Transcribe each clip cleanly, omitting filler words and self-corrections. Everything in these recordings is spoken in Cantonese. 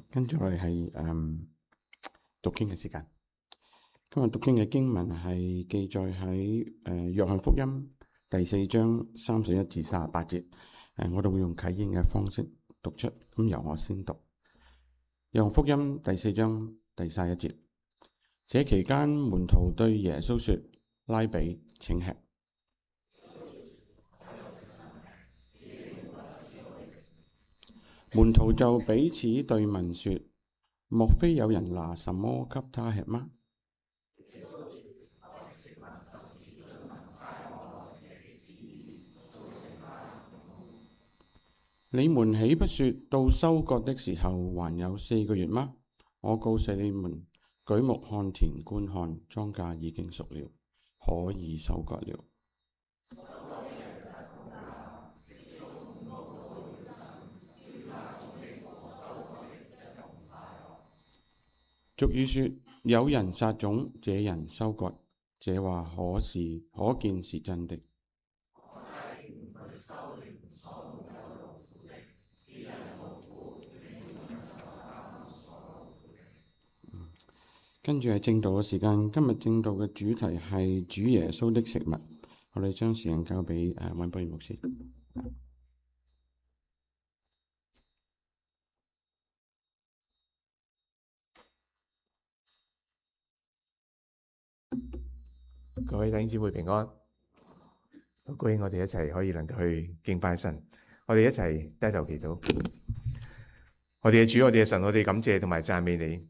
跟住我哋係讀經嘅時間。今日讀經嘅經文係記載喺約翰福音第4章31至38節。我哋會用啟應嘅方式讀出。咁由我先讀。約翰福音第4章第31節。這期間，門徒對耶穌說：拉比，請吃。門徒就彼此對問說：莫非有人拿什麼給他吃嗎？你們豈不說到收割的時候還有4個月嗎？我告訴你們，舉目看田觀看，莊稼已經熟了，可以收割了。俗語說：有人撒種，這人收割。這話可見是真的。跟住係正道嘅時間。今日正道嘅主題係主耶穌的食物。我哋將時間交俾溫博義牧師。各位弟兄姊妹平安，好高興我哋一齊可以能夠去敬拜神，我哋一齊低頭祈禱。我哋嘅主，我哋嘅神，我哋感謝同埋讚美你。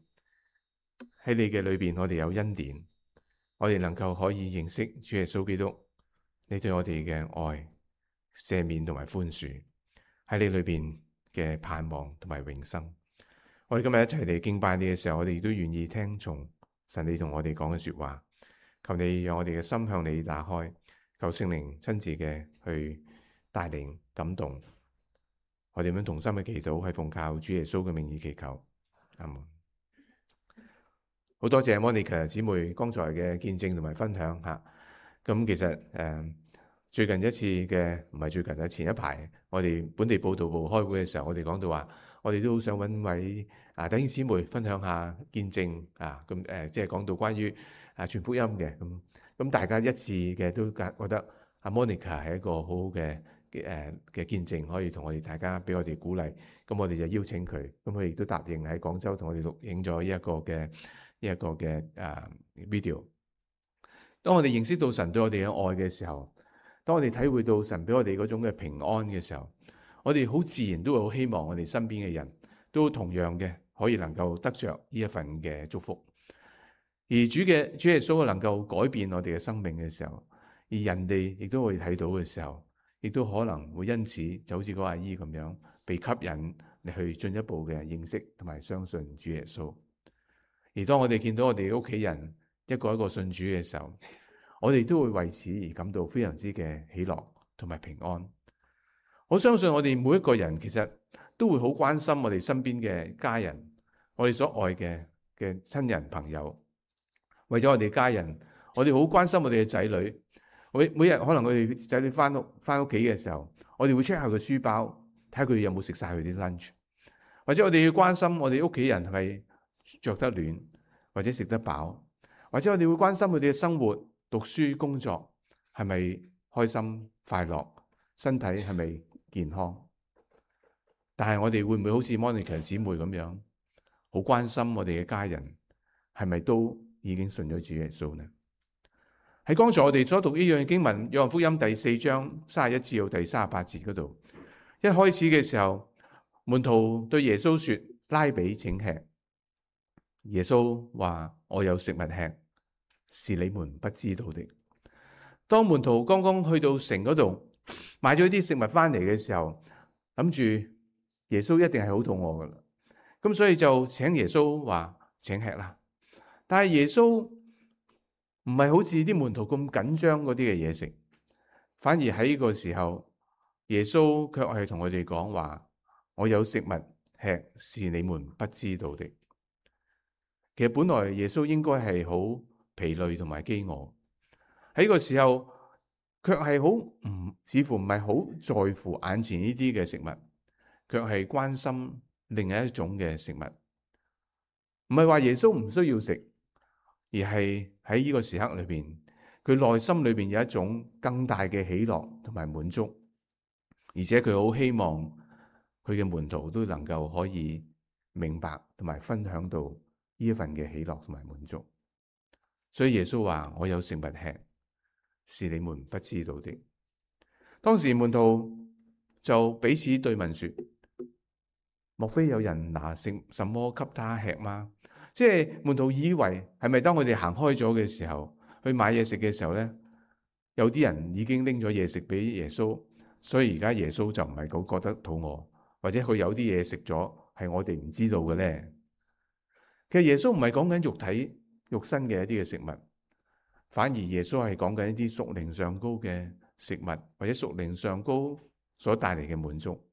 喺你嘅裏邊，我哋有恩典，我哋能夠可以認識主耶穌基督，你對我哋嘅愛、赦免同埋寬恕，喺你裏邊嘅盼望同埋永生。我哋今日一齊嚟敬拜你嘅時候，我哋亦都願意聽從神你同我哋講嘅說話。求你讓我哋嘅心向你打開，求聖靈親自嘅去帶領感動。我哋咁樣同心嘅祈禱，係奉靠主耶穌嘅名義祈求。阿門。好多謝 Monica 姊妹剛才嘅見證同埋分享吓。咁其實最近一次嘅唔係最近啊，前一排我哋本地報道部開會嘅時候，我哋講到話，我哋都好想揾位弟兄姊妹分享下見證啊。咁即係講到關於傳福音嘅咁大家一致嘅都覺得阿 Monica 係一個好好嘅見證，可以同我哋大家俾我哋鼓勵。咁我哋就邀請佢，咁佢亦都答應喺廣州同我哋錄影咗一個嘅video。當我哋認識到神對我哋嘅愛嘅時候，當我哋體會到神俾我哋嗰種嘅平安嘅時候，我哋好自然都會好希望我哋身邊嘅人都同樣嘅可以能夠得着呢一份嘅祝福。而主耶穌能夠改變我哋嘅生命嘅時候，而人哋亦都會睇到嘅時候，亦都可能會因此就好似嗰個阿姨咁樣被吸引嚟去進一步嘅認識同埋相信主耶穌。而當我哋見到我哋屋企人一個一個信主嘅時候，我哋都會為此而感到非常之嘅喜樂同埋平安。我相信我哋每一個人其實都會好關心我哋身邊嘅家人，我哋所愛嘅親人朋友。為咗我哋家人，我哋好關心我哋嘅仔女。每日可能我哋仔女翻屋企嘅時候，我哋會 check 下佢書包，睇下佢有冇食晒佢啲 lunch。或者我哋要關心我哋屋企人係咪着得暖，或者食得飽。或者我哋會關心佢哋嘅生活、讀書、工作係咪開心快樂，身體係咪健康。但係我哋會唔會好似 Monica 姊妹咁樣，好關心我哋嘅家人係咪都已經信咗主耶穌呢？喺剛才我哋所讀呢樣經文，約翰福音第4章31至到第38節嗰度，一開始嘅時候，門徒對耶穌說：拉比，請吃。耶穌話：我有食物吃，是你們不知道的。當門徒剛剛去到城嗰度買咗啲食物翻嚟嘅時候，諗住耶穌一定係好肚餓噶啦，咁所以就請耶穌話：請吃啦。但係耶穌唔係好似啲門徒咁緊張嗰啲嘅嘢食，反而喺呢個時候，耶穌卻係同我哋講話：我有食物吃，是你們不知道的。其實本來耶穌應該係好疲累同埋飢餓，喺呢個時候卻係似乎唔係好在乎眼前呢啲嘅食物，卻係關心另一種嘅食物。唔係話耶穌唔需要食，而係喺呢個時刻裏邊，佢內心裏邊有一種更大嘅喜樂同埋滿足，而且佢好希望佢嘅門徒都能夠可以明白同埋分享到呢一份嘅喜樂同埋滿足。所以耶穌話：我有食物吃，是你們不知道的。當時門徒就彼此對問說：莫非有人拿什麼給他吃嗎？即係門徒以為係咪當我哋行開咗嘅時候，去買嘢食嘅時候呢，有啲人已經拎咗嘢食俾耶穌，所以而家耶穌就唔係好覺得肚餓，或者佢有啲嘢食咗係我哋唔知道嘅呢？其實耶穌唔係講緊肉體肉身嘅一啲嘅食物，反而耶穌係講緊一啲屬靈上高嘅食物，或者屬靈上高所帶嚟嘅滿足。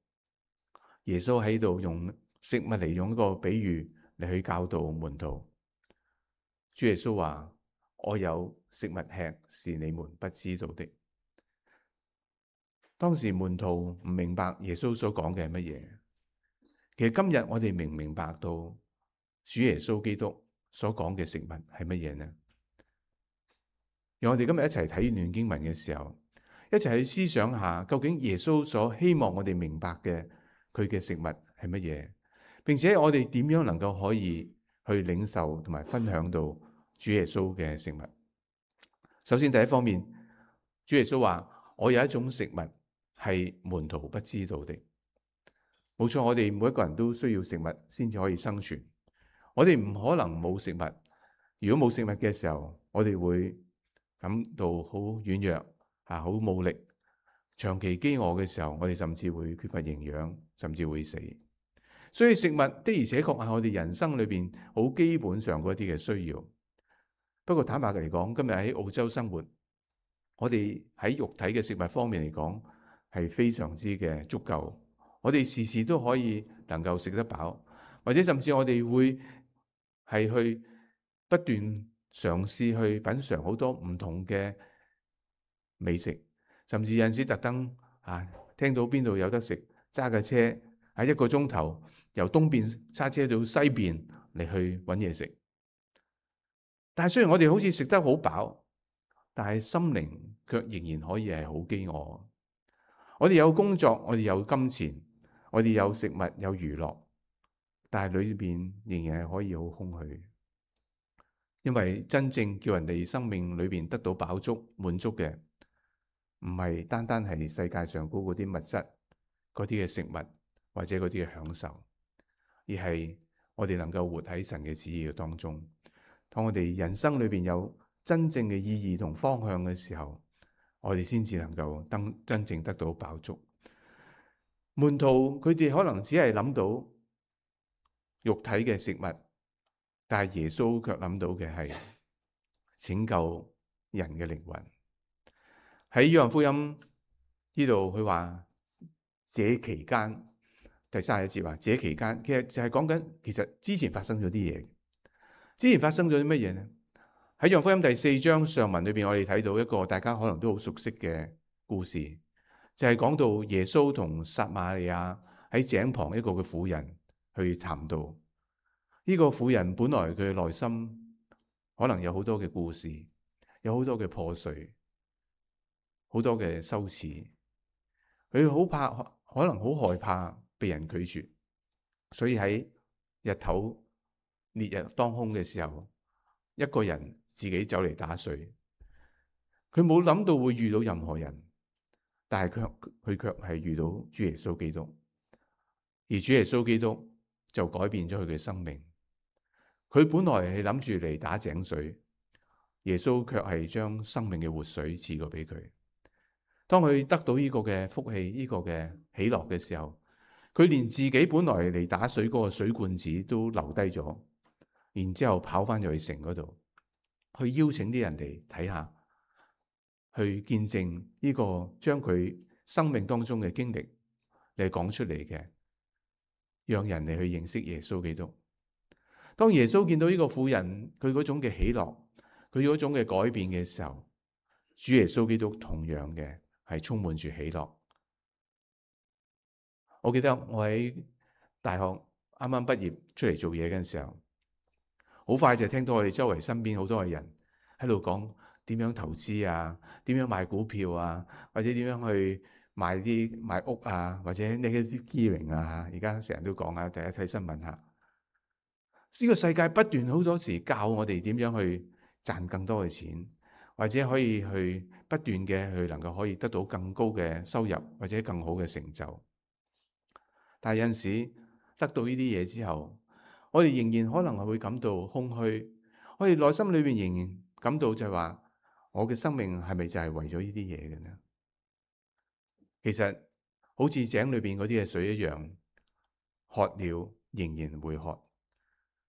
耶穌喺度用食物嚟用一個比喻嚟去教導門徒。主耶穌話：我有食物吃，是你們不知道的。當時門徒唔明白耶穌所講嘅係乜嘢。其實今日我哋明唔明白到主耶穌基督所講嘅食物係乜嘢呢？讓我哋今日一齊睇呢段經文嘅時候，一齊去思想下，究竟耶穌所希望我哋明白嘅佢嘅食物係乜嘢，並且我哋點樣能夠可以去領受同埋分享到主耶穌嘅食物。首先第一方面，主耶穌話：我有一種食物係門徒不知道的。冇錯，我哋每一個人都需要食物先至可以生存。我哋唔可能冇食物。如果冇食物嘅時候，我哋會感到好軟弱，好冇力。長期飢餓嘅時候，我哋甚至會缺乏營養，甚至會死。所以食物的而且確係我哋人生裏邊好基本上嗰啲嘅需要。不過坦白嚟講，今日喺澳洲生活，我哋喺肉體嘅食物方面嚟講係非常之嘅足夠。我哋時時都可以能夠食得飽，或者甚至我哋會係去不斷嘗試去品嘗好多唔同嘅美食，甚至有陣時特登聽到邊度有得食，揸架車喺1個鐘頭由東邊揸車到西邊嚟去揾嘢食。但係雖然我哋好似食得好飽，但係心靈卻仍然可以係好飢餓。我哋有工作，我哋有金錢，我哋有食物有娛樂，但係裏邊仍然係可以好空虛。因為真正叫人哋生命裏邊得到飽足滿足嘅，唔係單單係世界上嗰啲物質嗰啲嘅食物或者嗰啲嘅享受，而係我哋能夠活喺神嘅旨意當中。當我哋人生裏邊有真正嘅意義同方向嘅時候，我哋先至能夠真正得到飽足。門徒佢哋可能只係諗到肉體嘅食物，但係耶穌卻諗到嘅係拯救人嘅靈魂。喺約翰福音呢度佢話，這期間第31節話，這期間其實就係講緊，其實之前發生咗啲嘢。之前發生咗啲乜嘢呢？喺約翰福音第4章上文裏邊，我哋睇到一個大家可能都好熟悉嘅故事，就係講到耶穌同撒瑪利亞喺井旁一個嘅婦人去談道。呢個婦人本來佢嘅內心可能有好多嘅故事，有好多嘅破碎，好多嘅羞恥。佢好怕，可能好害怕被人拒絕，所以喺日頭烈日當空嘅時候，一個人自己走嚟打水。佢冇諗到會遇到任何人，但係佢卻係遇到主耶穌基督，而主耶穌基督就改變咗佢嘅生命。佢本來係諗住嚟打井水，耶穌卻係將生命嘅活水賜過俾佢。當佢得到呢個嘅福氣，呢個嘅喜樂嘅時候，佢連自己本來嚟打水嗰個水罐子都留低咗，然之後跑翻入去城嗰度，去邀請啲人嚟睇下，去見證呢個將佢生命當中嘅經歷嚟講出嚟嘅，讓人嚟去認識耶穌基督。當耶穌見到呢個婦人佢嗰種嘅喜樂，佢嗰種嘅改變嘅時候，主耶穌基督同樣嘅係充滿住喜樂。我記得我喺大學啱啱畢業出嚟做嘢嘅時候，好快就聽到我哋周圍身邊好多嘅人喺度講點樣投資啊，點樣買股票啊，或者點樣去買屋啊，或者 negative gearing 啊。而家成日都講啊，大家睇新聞下，呢個世界不斷好多時教我哋點樣去賺更多嘅錢，或者可以去不斷嘅去能夠可以得到更高嘅收入或者更好嘅成就。但係有陣時得到呢啲嘢之後，我哋仍然可能係會感到空虛，我哋內心裏邊仍然感到就係話，我嘅生命係咪就係為咗呢啲嘢嘅呢？其實好似井裏邊嗰啲嘅水一樣，渴了仍然會渴。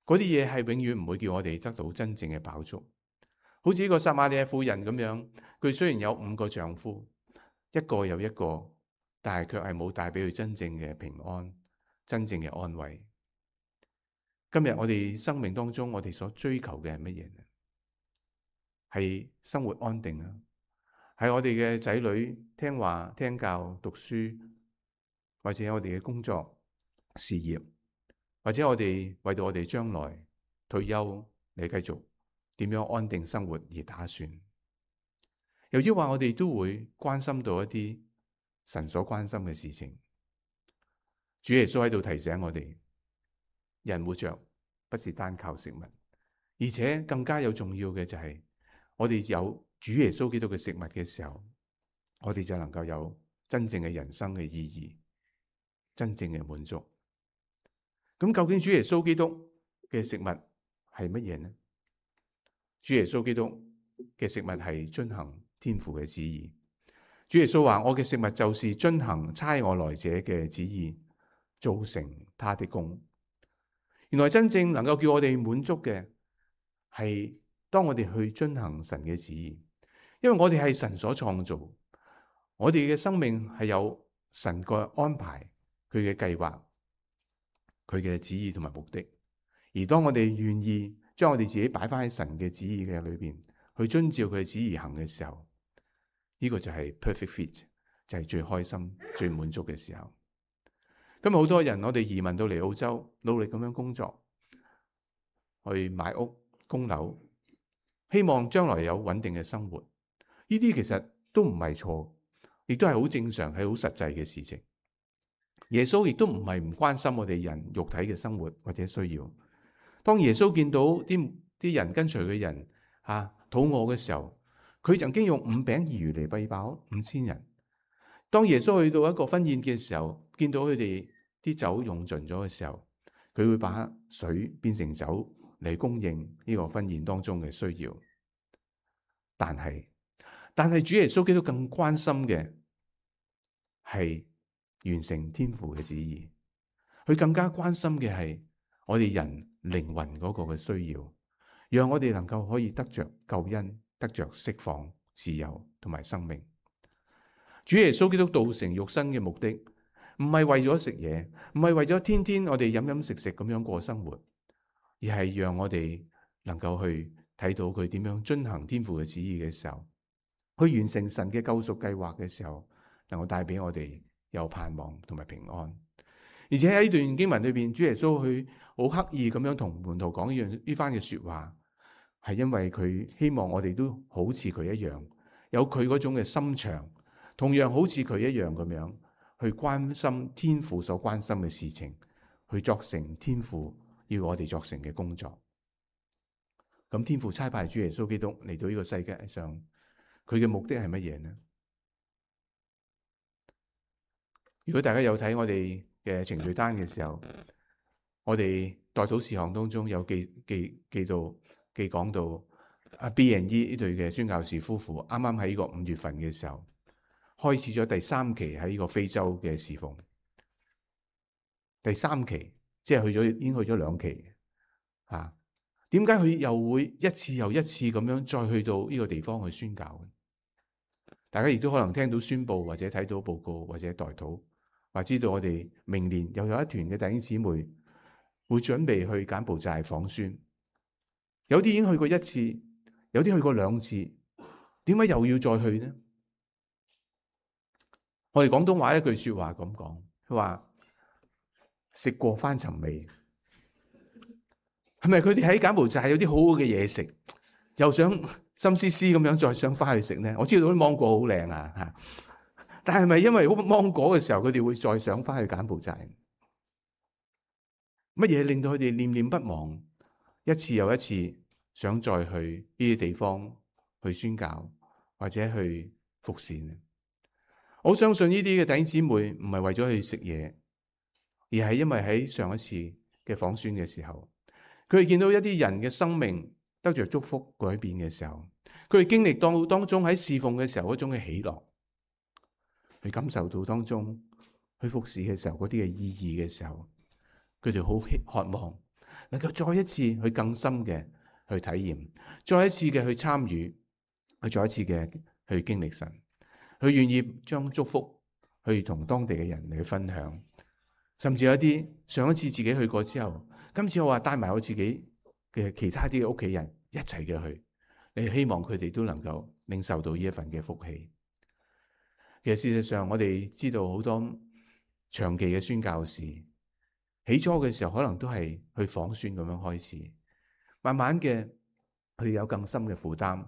嗰啲嘢係永遠唔會叫我哋得到真正嘅飽足。好似呢個撒瑪利亞婦人咁樣，佢雖然有5個丈夫，一個又一個，但係卻係冇帶俾佢真正嘅平安、真正嘅安慰。今日我哋生命當中，我哋所追求嘅係乜嘢呢？係生活安定啊，係我哋嘅仔女聽話聽教讀書，或者我哋嘅工作事業，或者我哋為到我哋將來退休嚟繼續點樣安定生活而打算。由於話我哋都會關心到一啲神所關心嘅事情，主耶穌喺度提醒我哋，人活着不是單靠食物，而且更加有重要嘅就係我哋有主耶穌基督嘅食物嘅時候，我哋就能夠有真正嘅人生嘅意義，真正嘅滿足。咁究竟主耶穌基督嘅食物係乜嘢呢？主耶穌基督嘅食物係遵行天父嘅旨意。主耶穌話：我嘅食物就是遵行差我來者嘅旨意，做成他的工。原來真正能夠叫我哋滿足嘅係當我哋去遵行神嘅旨意，因為我哋係神所創造，我哋嘅生命係有神嘅安排，佢嘅計劃，佢嘅旨意同埋目的。而當我哋願意將我哋自己擺翻喺神嘅旨意嘅裏邊，去遵照佢嘅旨意行嘅時候，呢個就係 perfect fit， 就係最開心、最滿足嘅時候。今日好多人，我哋移民到嚟澳洲，努力咁樣工作，去買屋、供樓，希望將來有穩定嘅生活。呢啲其實都唔係錯，亦都係好正常，係好實際嘅事情。耶穌亦都唔係唔關心我哋人肉體嘅生活或者需要。當耶穌見到啲人跟隨嘅人肚餓嘅時候，佢曾經用5餅2魚嚟餵飽5000人。當耶穌去到一個婚宴嘅時候，見到佢哋啲酒用盡咗嘅時候，佢會把水變成酒嚟供應呢個婚宴當中嘅需要。但係主耶穌基督更關心嘅係完成天父嘅旨意，佢更加關心嘅係我哋人靈魂嗰個嘅需要，讓我哋能夠可以得着救恩，得着釋放、自由同埋生命。主耶穌基督道成肉身嘅目的，唔係為咗食嘢，唔係為咗天天我哋飲飲食食咁樣過生活，而係讓我哋能夠去睇到佢點樣遵行天父嘅旨意嘅時候，去完成神嘅救贖計劃嘅時候，能夠帶俾我哋有盼望同埋平安。而且喺呢段經文裏邊，主耶穌去好刻意咁樣同門徒講呢番嘅說話，係因為佢希望我哋都好似佢一樣，有佢嗰種嘅心腸，同樣好似佢一樣咁樣去關心天父所關心嘅事情，去作成天父要我哋作成嘅工作。咁天父差派主耶穌基督嚟到呢個世界上，佢嘅目的係乜嘢呢？如果大家有睇我哋嘅程序單嘅時候，我哋代禱事項當中有記講到阿 B&E 呢對嘅宣教士夫婦，啱啱喺呢個5月份嘅時候開始咗第3期喺呢個非洲嘅侍奉。第3期即係已經去咗2期啊。點解佢又會一次又一次咁樣再去到呢個地方去宣教？大家亦都可能聽到宣佈或者睇到報告或者代禱，或知道我哋明年又有一團嘅弟兄姊妹會準備去柬埔寨訪宣。有啲已經去過1次，有啲去過2次，點解又要再去呢？我哋廣東話一句說話咁講，佢話食過翻尋味。係咪佢哋喺柬埔寨有啲好好嘅嘢食，又想心思思咁樣再想翻去食呢？我知道啲芒果好靚啊嚇，但係咪因為芒果嘅時候，佢哋會再想翻去柬埔寨？乜嘢令到佢哋念念不忘，一次又一次想再去呢啲地方去宣教或者去服侍呢？我相信呢啲嘅弟兄姊妹唔係為咗去食嘢，而係因為喺上一次嘅訪宣嘅時候，佢哋見到一啲人嘅生命得着祝福改變嘅時候，佢哋經歷到當中喺侍奉嘅時候嗰種嘅喜樂，去感受到當中去服侍嘅時候嗰啲嘅意義嘅時候，佢哋好渴望能夠再一次去更深嘅去體驗，再一次嘅去參與，去再一次嘅去經歷神，佢願意將祝福去同當地嘅人嚟去分享，甚至有一啲上一次自己去過之後，今次我話帶埋我自己嘅其他啲嘅屋企人一齊嘅去，你希望佢哋都能夠領受到呢一份嘅福氣。其實事實上，我哋知道好多長期嘅宣教士，起初嘅時候可能都係去訪宣咁樣開始，慢慢嘅佢哋有更深嘅負擔，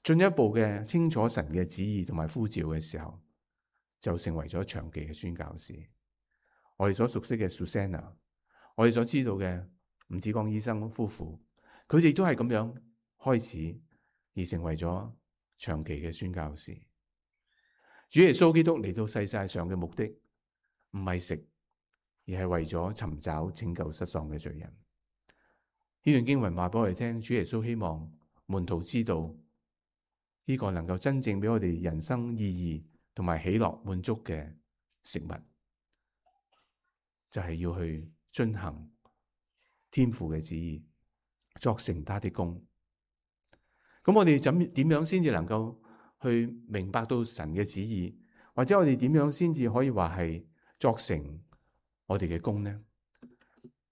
進一步嘅清楚神嘅旨意同埋呼召嘅時候，就成為咗長期嘅宣教士。我哋所熟悉嘅 Susanna， 我哋所知道嘅吳子光醫生夫婦，佢哋都係咁樣開始而成為咗長期嘅宣教士。主耶穌基督嚟到世界上嘅目的唔係食，而係為咗尋找拯救失喪嘅罪人。呢段經文話俾我哋聽，主耶穌希望門徒知道呢個能夠真正俾我哋人生意義同埋喜樂滿足嘅食物，就係要去遵行天父嘅旨意，作成他的工。咁我哋點樣先至能夠去明白到神嘅旨意，或者我哋點樣先至可以話係作成我哋嘅工呢？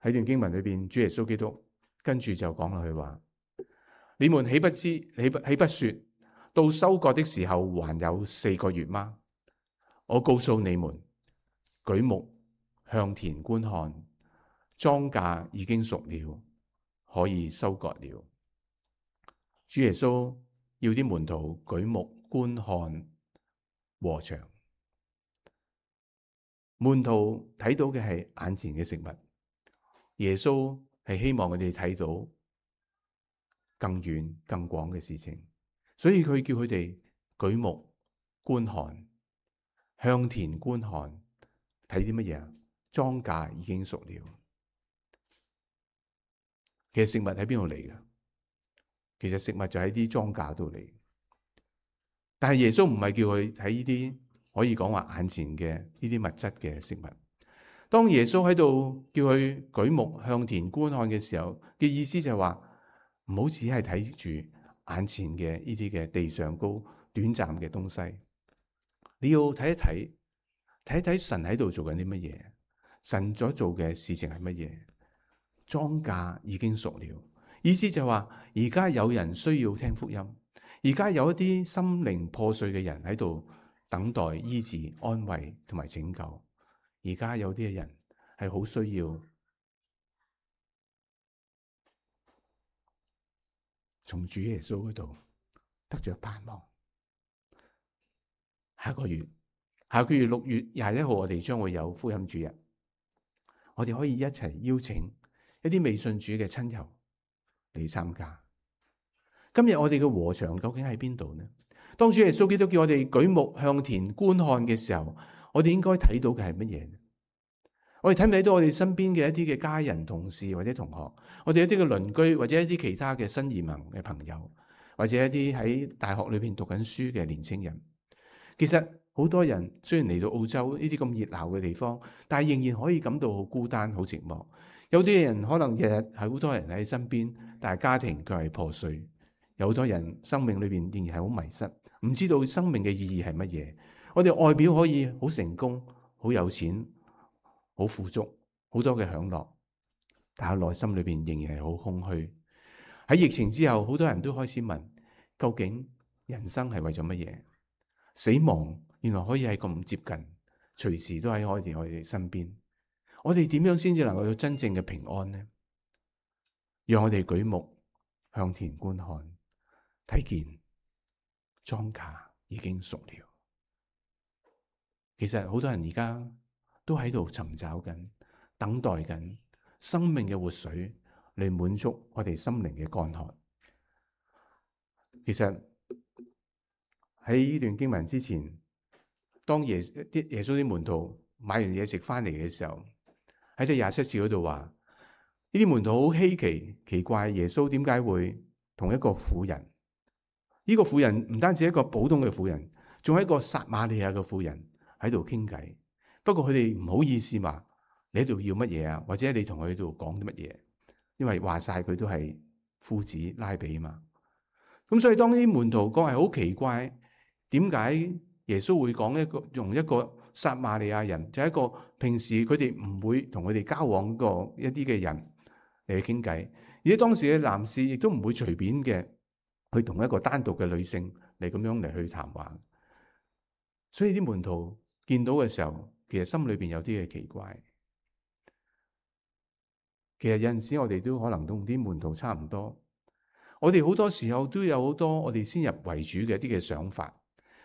喺段經文裏邊，主耶穌基督跟住就講落去話：你們豈不說到收割的時候還有4個月嗎？我告訴你們，舉目向田觀看，莊稼已經熟了，可以收割了。主耶穌要啲門徒舉目觀看禾場，門徒睇到嘅係眼前嘅食物，耶穌係希望佢哋睇到更遠更廣嘅事情，所以佢叫佢哋舉目觀看，向田觀看，睇啲乜嘢啊？莊稼已經熟了。其實食物喺邊度嚟嘅？其實食物就喺啲莊稼度嚟。但係耶穌唔係叫佢睇呢啲可以講話眼前嘅呢啲物質嘅食物。當耶穌喺度叫佢舉目向田觀看嘅時候，嘅意思就係話唔好只係睇住眼前嘅呢啲嘅地上高短暫嘅東西，你要睇一睇神喺度做緊啲乜嘢，神所做嘅事情係乜嘢。莊稼已經熟了，意思就係話而家有人需要聽福音，而家有一啲心靈破碎嘅人喺度等待醫治、安慰同埋拯救。而家有啲嘅人係好需要從主耶穌嗰度得着盼望。下個月6月21號，我哋將會有福音主日，我哋可以一齊邀請一啲未信主嘅親友嚟參加。今日我哋嘅禾場究竟喺邊度呢？當主耶穌基督叫我哋舉目向田觀看嘅時候，我哋應該睇到嘅係乜嘢？我哋睇唔睇到我哋身邊嘅一啲嘅家人、同事或者同學，我哋一啲嘅鄰居或者一啲其他嘅新移民嘅朋友，或者一啲喺大學裏邊讀緊書嘅年青人？其實好多人雖然嚟到澳洲呢啲咁熱鬧嘅地方，但係仍然可以感到好孤單、好寂寞。有啲人可能日日係好多人喺身邊，但係家庭卻係破碎。有好多人生命裏邊仍然係好迷失，唔知道生命嘅意義係乜嘢。我哋外表可以好成功、好有錢、好富足、好多嘅享樂，但係內心裏邊仍然係好空虛。喺疫情之後，好多人都開始問：究竟人生係為咗乜嘢？死亡原來可以係咁接近，隨時都喺我哋身邊。我哋點樣先至能夠有真正嘅平安呢？讓我哋舉目向田觀看，睇見莊稼已經熟了。其實好多人而家都喺度尋找緊、等待緊生命嘅活水嚟滿足我哋心靈嘅乾渴。其實喺呢段經文之前，當耶穌啲門徒買完嘢食翻嚟嘅時候，喺第27節嗰度話，呢啲門徒好稀奇怪，耶穌點解會同一個婦人？呢個婦人唔單止係一個普通嘅婦人，仲係一個撒瑪利亞嘅婦人喺度傾偈。不過佢哋唔好意思話，你喺度要乜嘢啊？或者你同佢喺度講啲乜嘢？因為話晒佢都係夫子拉比嘛。咁所以當啲門徒講係好奇怪，點解耶穌會講用一個撒瑪利亞人，就係一個平時佢哋唔會同佢哋交往過一啲嘅人嚟傾偈，而且當時嘅男士亦都唔會隨便嘅去同一個單獨嘅女性嚟咁樣嚟去談話。所以啲門徒見到嘅時候，其實心裏邊有啲嘅奇怪。其實有陣時我哋都可能同啲門徒差唔多，我哋好多時候都有好多我哋先入為主嘅一啲嘅想法，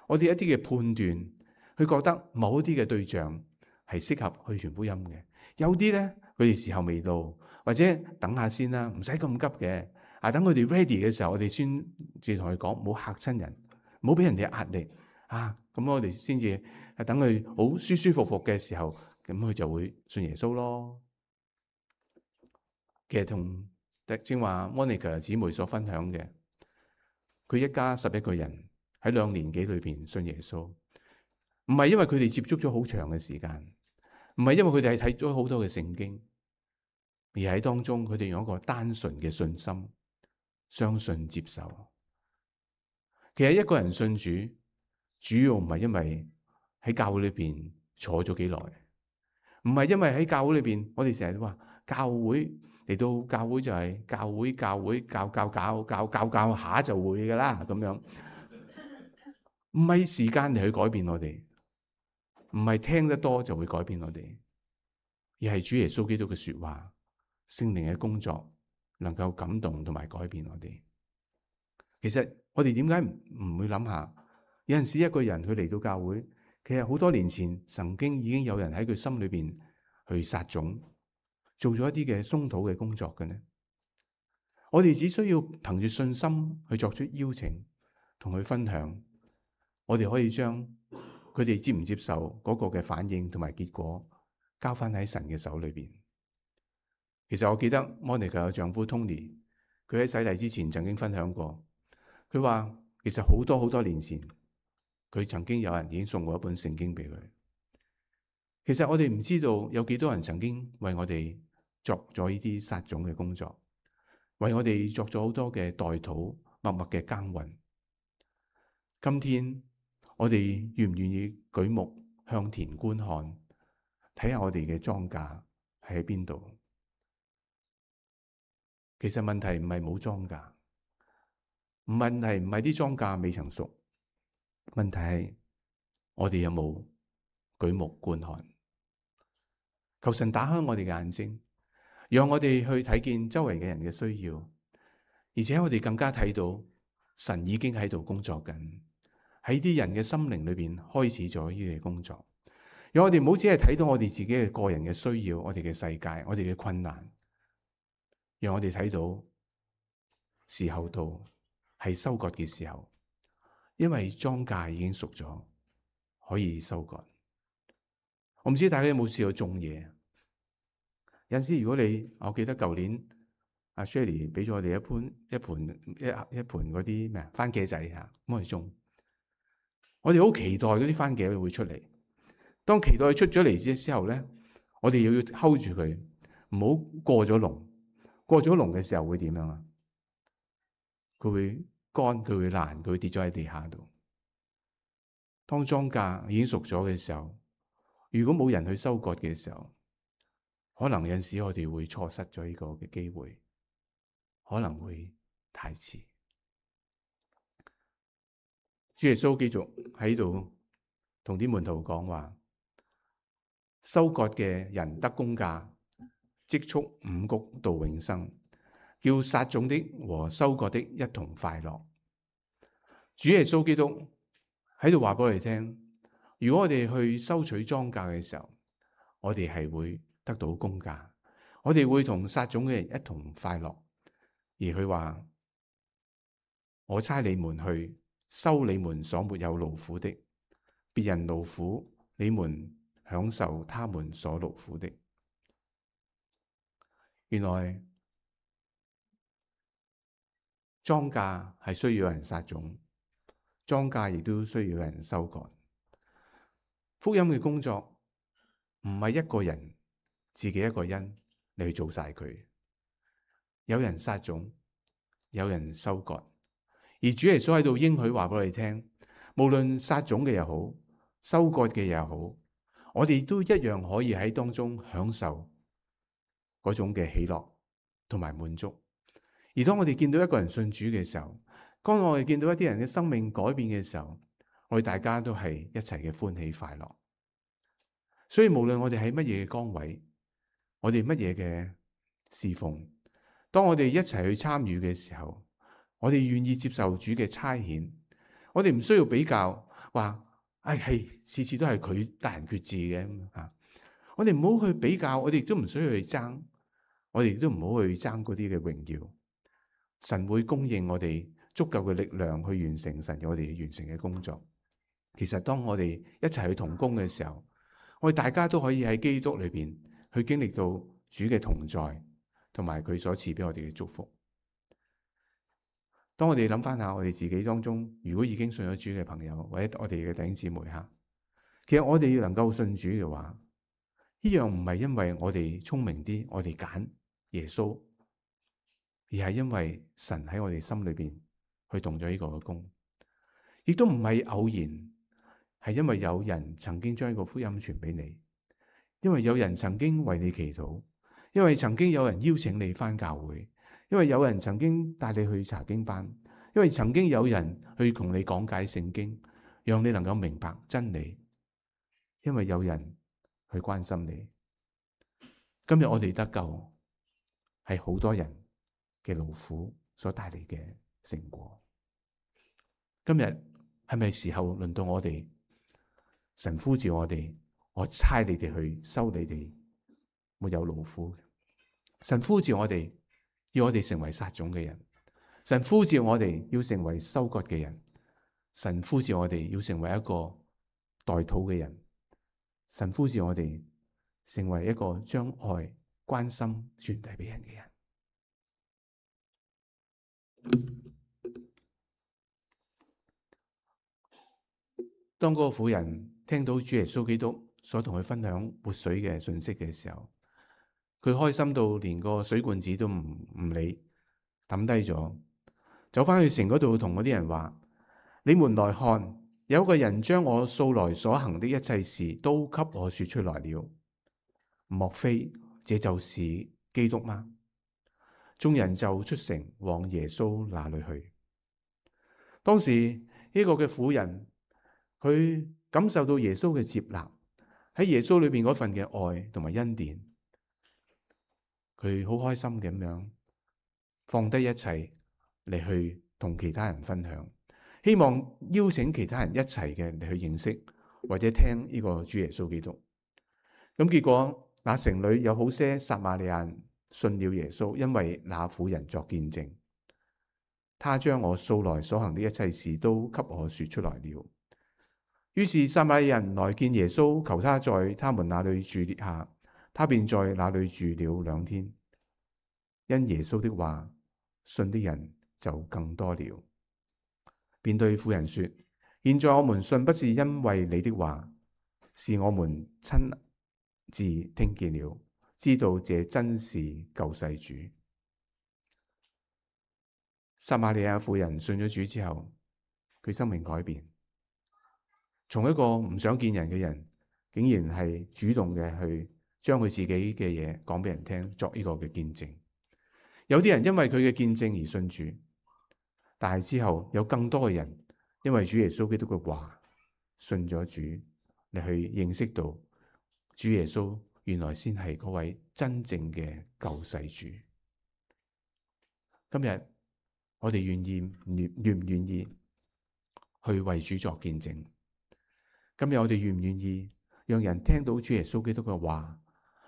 我哋一啲嘅判斷，去覺得某一啲嘅對象係適合去傳福音嘅。有啲咧佢哋時候未到，或者等下先啦，唔使咁急嘅。等佢哋 ready 嘅時候，我哋先至同佢講，唔好嚇親人，唔好俾人哋壓力咁我哋先至等佢好舒舒服服嘅時候，咁佢就會信耶穌咯。其實同正話 Monica 姊妹所分享嘅，佢一家11個人喺2年幾裏邊信耶穌，唔係因為佢哋接觸咗好長嘅時間，唔係因為佢哋係睇咗好多嘅聖經，而喺當中佢哋用一個單純嘅信心，相信接受。其實一個人信主，主要唔係因為喺教會裏邊坐咗幾耐，唔係因為喺教會裏邊，我哋成日都話教會嚟到教會就係教下就會噶啦咁樣，唔係時間嚟去改變我哋，唔係聽得多就會改變我哋，而係主耶穌基督嘅說話、聖靈嘅工作能夠感動同埋改變我哋。其實我哋點解唔會諗下，有陣時一個人佢嚟到教會，其實好多年前曾經已經有人喺佢心裏邊去撒種，做咗一啲嘅鬆土嘅工作嘅呢？我哋只需要憑住信心去作出邀請，同佢分享，我哋可以將佢哋接唔接受嗰個嘅反應同埋結果交翻喺神嘅手裏邊。其實我記得 Monica 嘅丈夫 Tony， 佢喺洗禮之前曾經分享過，佢話其實好多年前，佢曾經有人已經送過一本聖經俾佢。其實我哋唔知道有幾多人曾經為我哋作咗呢啲撒種嘅工作，為我哋作咗好多嘅代禱，默默嘅耕耘。今天我哋願唔願意舉目向田觀看，睇下我哋嘅莊稼係喺邊度？其實問題唔係冇莊稼，問題唔係啲莊稼未曾熟，問題係我哋有冇舉目觀看？求神打開我哋嘅眼睛，讓我哋去睇見周圍嘅人嘅需要，而且我哋更加睇到神已經喺度工作緊，喺啲人嘅心靈裏邊開始咗呢啲工作。讓我哋唔好只係睇到我哋自己嘅個人嘅需要，我哋嘅世界，我哋嘅困難，讓我哋睇到時候到，係收割嘅時候，因為莊稼已經熟咗，可以收割。我唔知大家有冇試過種嘢？有陣時如果我記得舊年阿 Shelly 俾咗我哋一盤嗰啲咩番茄仔吓，咁去種。我哋好期待嗰啲番茄會出嚟。當期待出咗嚟之後咧，我哋要 hold 住佢，唔好過咗籠。過咗籠嘅時候會點樣啊？佢會乾，佢會爛，佢會跌咗喺地下度。當莊稼已經熟咗嘅時候，如果冇人去收割嘅時候，可能有陣時我哋會錯失咗呢個嘅機會，可能會太遲。主耶穌繼續喺度同啲門徒講話：收割嘅人得工價，積蓄五穀到永生，叫撒種的和收割的一同快樂。主耶穌基督喺度話俾我哋聽，如果我哋去收取莊稼嘅時候，我哋係會得到工價，我哋會同撒種嘅人一同快樂。而佢話：我差你們去收你們所沒有勞苦的，別人勞苦，你們享受他們所勞苦的。原來莊稼係需要有人撒種，莊稼亦都需要有人收割。福音嘅工作唔係一個人自己一個人你去做晒佢，有人撒種，有人收割。而主耶穌喺度應許話俾我哋聽，無論撒種嘅又好，收割嘅又好，我哋都一樣可以喺當中享受嗰種嘅喜樂同埋滿足。而當我哋見到一個人信主嘅時候，當我哋見到一啲人嘅生命改變嘅時候，我哋大家都係一齊嘅歡喜快樂。所以無論我哋喺乜嘢嘅崗位，我哋乜嘢嘅侍奉，當我哋一齊去參與嘅時候，我哋願意接受主嘅差遣，我哋唔需要比較，話係次次都係佢大人決志嘅吓。我哋唔好去比較，我哋亦都唔需要去爭，我哋亦都唔好去爭嗰啲嘅榮耀。神會供應我哋足夠嘅力量去完成神我哋完成嘅工作。其實當我哋一齊去同工嘅時候，我哋大家都可以喺基督裏邊去經歷到主嘅同在，同埋佢所賜俾我哋嘅祝福。當我哋諗翻下我哋自己當中，如果已經信咗主嘅朋友，或者我哋嘅弟兄姊妹吓，其實我哋能夠信主嘅話，呢樣唔係因為我哋聰明啲，我哋揀耶穌，而係因為神喺我哋心裏邊去動咗呢個嘅工，亦都唔係偶然，係因為有人曾經將呢個福音傳俾你，因為有人曾經為你祈禱，因為曾經有人邀請你返教會，因為有人曾經帶你去查經班，因為曾經有人去同你講解聖經，讓你能夠明白真理，因為有人去關心你。今日我哋得救係好多人嘅勞苦所帶嚟嘅成果。今日係咪時候輪到我哋？神呼召我哋，我差你哋去收你哋沒有勞苦。神呼召我哋，要我哋成為撒種嘅人。神呼召我哋要成為收割嘅人。神呼召我哋要成為一個代禱嘅人。神呼召我哋成為一個將愛關心傳遞俾人嘅人。當嗰個婦人聽到主耶穌基督所同佢分享活水嘅信息嘅時候，佢開心到連個水罐子都唔理，抌低咗，走翻去城嗰度同嗰啲人話：你們來看，有一個人將我素來所行的一切事都給我說出來了。莫非這就是基督嗎？眾人就出城往耶穌那裏去。當時呢個嘅婦人，佢感受到耶穌嘅接納，喺耶穌裏邊嗰份嘅愛同埋恩典，佢好開心咁樣放低一切嚟去同其他人分享，希望邀請其他人一齊嘅嚟去認識或者聽呢個主耶穌基督。咁結果那城裏有好些撒瑪利亞人信了耶穌，因為那婦人作見證，他將我素來所行的一切事都給我說出來了。於是撒瑪利亞人來見耶穌，求他在他們那裏住下，他便在那裏住了2天。因耶穌的話，信的人就更多了。便對婦人說：現在我們信不是因為你的話，是我們親自聽見了，知道這真是救世主。撒瑪利亞婦人信咗主之後，佢生命改變，從一個唔想見人嘅人，竟然係主動嘅去將佢自己嘅嘢講俾人聽，作呢個嘅見證。有啲人因為佢嘅見證而信主，但係之後有更多嘅人因為主耶穌基督嘅話信咗主，嚟去認識到主耶穌原來先係嗰位真正嘅救世主。今日我哋願唔願意去為主作見證？今日我哋願唔願意讓人聽到主耶穌基督嘅話，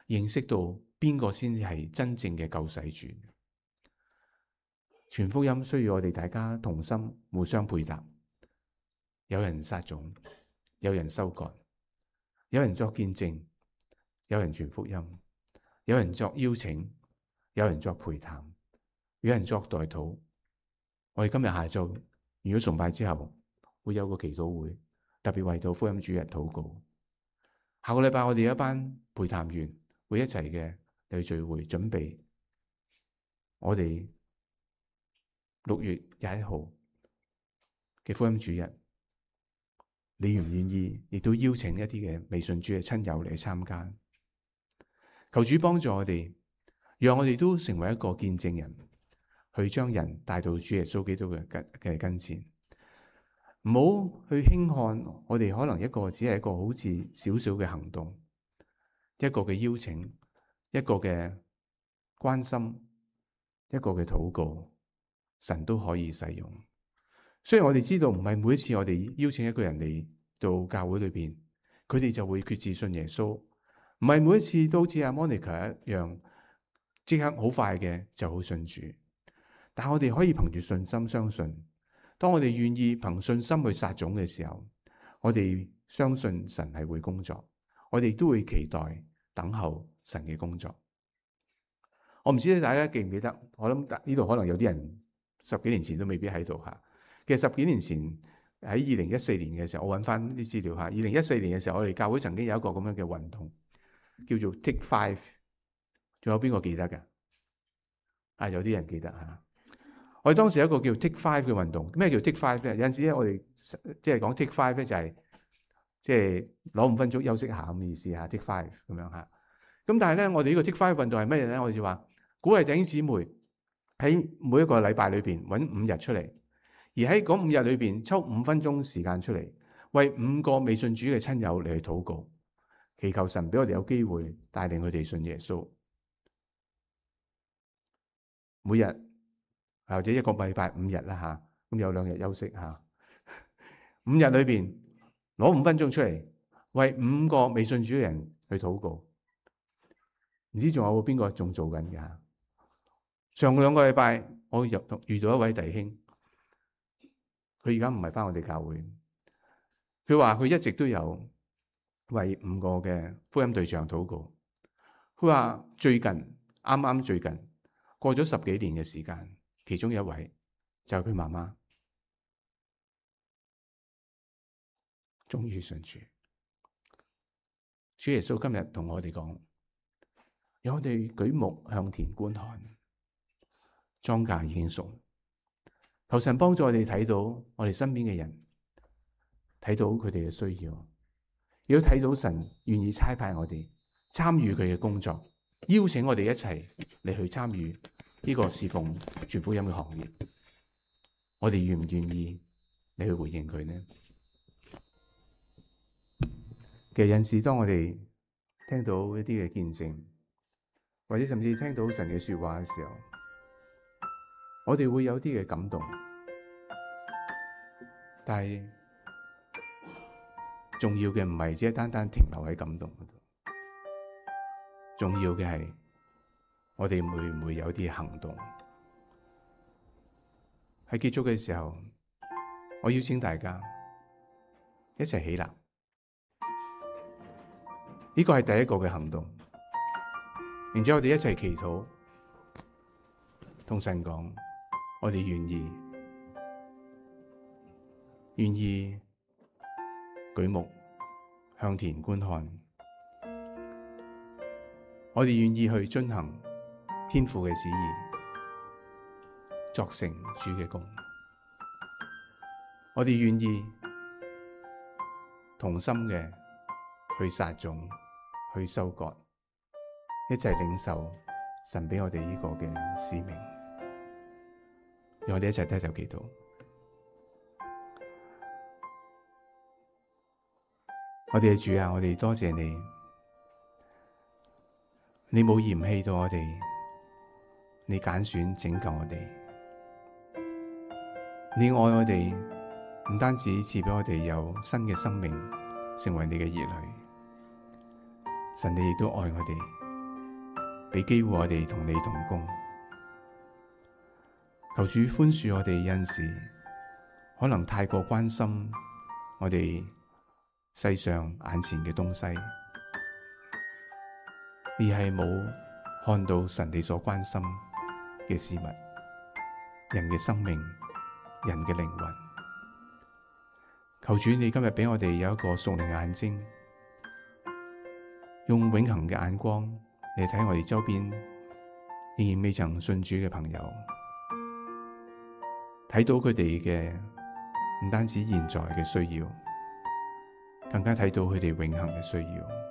認識到邊個先係真正嘅救世主？傳福音需要我哋大家同心，互相配搭。有人撒種，有人收割，有人作見證，有人傳福音，有人作邀請，有人作陪談，有人作代禱。我哋今日下晝如果崇拜之後會有個祈禱會，特別為到福音主日禱告。下個禮拜我哋有一班陪談員會一齊嘅嚟聚會，準備我哋6月21號嘅福音主日。你願唔願意亦都邀請一啲嘅未信主嘅親友嚟參加？求主幫助我哋，讓我哋都成為一個見證人，去將人帶到主耶穌基督嘅跟前。唔好去輕看我哋可能一個只係一個好似少少嘅行動，一個嘅邀請，一個嘅關心，一個嘅禱告，神都可以使用。雖然我哋知道唔係每一次我哋邀請一個人嚟到教會裏邊，佢哋就會決志信耶穌，唔係每一次都好似阿 Monica 一樣，即刻好快嘅就好信主。但我哋可以憑住信心相信，當我哋願意憑信心去撒種嘅時候，我哋相信神係會工作，我哋都會期待等候神嘅工作。我唔知大家記唔記得，我諗呢度可能有啲人10幾年前都未必喺度吓。其實10幾年前喺2014年嘅時候，我揾翻啲資料吓。2014年嘅時候，我哋教會曾經有一個咁樣嘅運動，叫做 Take 5。仲有邊個記得嘅？有啲人記得吓。我哋當時有一個叫 Take 5嘅運動。咩叫 Take 5咧？有陣時咧，我哋即係講 Take 5咧，就係即係攞5分鐘休息下咁嘅意思吓。Take 5咁樣吓。咁但係咧，我哋呢個 Take 5運動係乜嘢咧？我哋就話鼓勵弟兄姊妹喺每一個禮拜裏邊揾5日出嚟。而喺嗰5日裏邊抽5分鐘時間出嚟，為5個未信主嘅親友嚟去禱告，祈求神俾我哋有機會帶領佢哋信耶穌。每日或者一個禮拜5日啦吓，咁有2日休息吓。5日裏邊攞5分鐘出嚟，為5個未信主嘅人去禱告。唔知仲有邊個仲做緊㗎？上2個禮拜我遇到一位弟兄。佢而家唔係返我哋教會，佢話佢一直都有為5個嘅福音對象禱告。佢話最近過咗10幾年嘅時間，其中一位就係佢媽媽，終於信主。主耶穌今日同我哋講，讓我哋舉目向田觀看，莊稼已經熟。求神幫助我哋睇到我哋身邊嘅人，睇到佢哋嘅需要，亦都睇到神願意差派我哋參與佢嘅工作，邀請我哋一齊嚟去參與呢個侍奉傳福音嘅行業。我哋願唔願意你去回應佢呢？其實有陣時當我哋聽到一啲嘅見證，或者甚至聽到神嘅說話嘅時候，我哋會有啲嘅感動，但係重要嘅唔係只係單單停留喺感動嗰度，重要嘅係我哋會唔會有啲行動。喺結束嘅時候，我邀請大家一齊起立，呢個係第一個嘅行動，然之後我哋一齊祈禱，同神講。我哋願意舉目向田觀看，我哋願意去遵行天父嘅旨意，作成主嘅工。我哋願意同心嘅去撒種，去收割，一齊領受神俾我哋呢個嘅使命。讓我哋一齊低頭祈禱。我哋嘅主啊，我哋多謝你，你冇嫌棄到我哋，你揀選拯救我哋，你愛我哋，唔單止賜俾我哋有新嘅生命，成為你嘅兒女。神，你亦都愛我哋，俾機會我哋同你同工。求主寬恕我哋，有陣時可能太過關心我哋世上眼前嘅東西，而係冇看到神你所關心嘅事物，人嘅生命，人嘅靈魂。求主你今日俾我哋有一個屬靈嘅眼睛，用永恆嘅眼光嚟睇我哋周邊仍然未曾信主嘅朋友，睇到佢哋嘅唔單止現在嘅需要，更加睇到佢哋永恆嘅需要。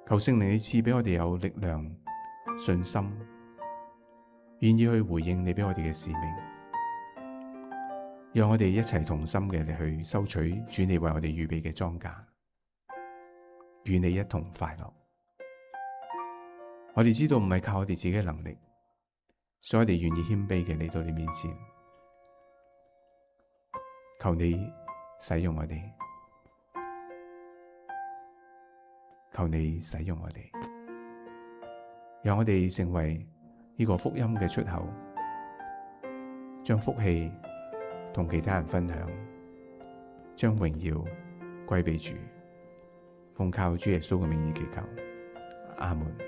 求聖靈你賜俾我哋有力量、信心，願意去回應你俾我哋嘅使命，讓我哋一齊同心嘅嚟去收取主你為我哋預備嘅莊稼，與你一同快樂。我哋知道唔係靠我哋自己嘅能力，所以我哋願意謙卑嘅嚟到你面前，求你使用我哋，求你使用我哋，讓我哋成為呢個福音嘅出口，將福氣同其他人分享，將榮耀歸俾主。奉靠主耶穌嘅名義祈求，阿門。